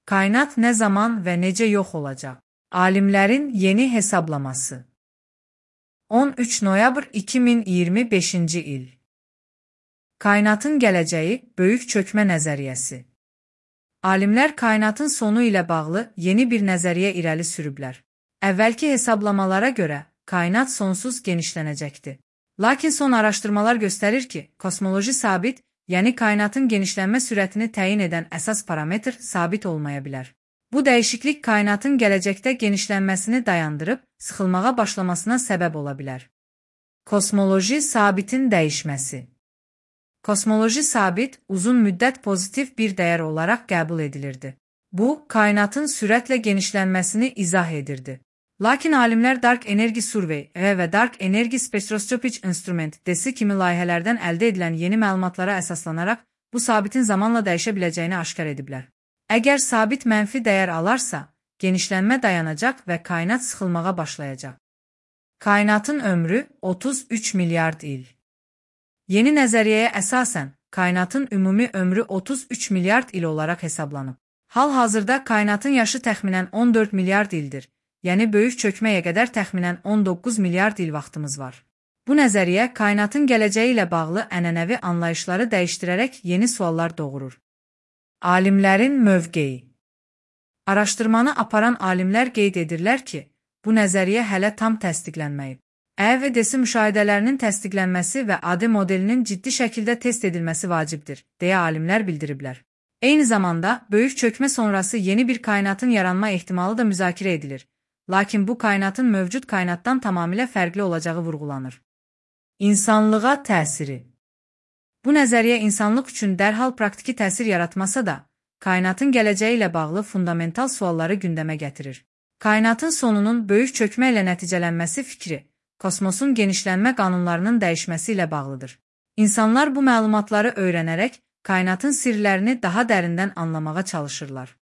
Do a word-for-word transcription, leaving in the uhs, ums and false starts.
Kainat nə zaman və necə yox olacaq? Alimlərin yeni hesablaması. on üç noyabr iki min iyirmi beşinci il. Kainatın gələcəyi böyük çökmə nəzəriyyəsi. Alimlər kainatın sonu ilə bağlı yeni bir nəzəriyyə irəli sürüblər. Əvvəlki hesablamalara görə kainat sonsuz genişlənəcəkdir. Lakin son araşdırmalar göstərir ki, kosmoloji sabit, yəni kainatın genişlənmə sürətini təyin edən əsas parametr sabit olmaya bilər. Bu dəyişiklik kainatın gələcəkdə genişlənməsini dayandırıb, sıxılmağa başlamasına səbəb ola bilər. Kosmoloji sabitin dəyişməsi. Kosmoloji sabit uzun müddət pozitiv bir dəyər olaraq qəbul edilirdi. Bu, kainatın sürətlə genişlənməsini izah edirdi. Lakin alimlər Dark Energy Survey və Dark Energy Spectroscopic Instrument D E S kimi layihələrdən əldə edilən yeni məlumatlara əsaslanaraq bu sabitin zamanla dəyişə biləcəyini aşkar ediblər. Əgər sabit mənfi dəyər alarsa, genişlənmə dayanacaq və kainat sıxılmağa başlayacaq. Kainatın ömrü otuz üç milyard il. Yeni nəzəriyyəyə əsasən, kainatın ümumi ömrü otuz üç milyard il olaraq hesablanıb. Hal-hazırda kainatın yaşı təxminən on dörd milyard ildir, yəni böyük çökməyə qədər təxminən on doqquz milyard il vaxtımız var. Bu nəzəriyyə kainatın gələcəyi ilə bağlı ənənəvi anlayışları dəyişdirərək yeni suallar doğurur. Alimlərin mövqeyi. Araşdırmanı aparan alimlər qeyd edirlər ki, bu nəzəriyyə hələ tam təsdiqlənməyib. E və D E S müşahidələrinin təsdiqlənməsi və A D modelinin ciddi şəkildə test edilməsi vacibdir, deyə alimlər bildiriblər. Eyni zamanda, böyük çökmə sonrası yeni bir kainatın yaranma ehtimalı da müzakirə edilir. Lakin bu kainatın mövcud kainatdan tamamilə fərqli olacağı vurğulanır. İnsanlığa təsiri. Bu nəzəriyyə insanlıq üçün dərhal praktiki təsir yaratmasa da, kainatın gələcəyi ilə bağlı fundamental sualları gündəmə gətirir. Kainatın sonunun böyük çökmə ilə nəticələnməsi fikri, kosmosun genişlənmə qanunlarının dəyişməsi ilə bağlıdır. İnsanlar bu məlumatları öyrənərək, kainatın sirlərini daha dərindən anlamağa çalışırlar.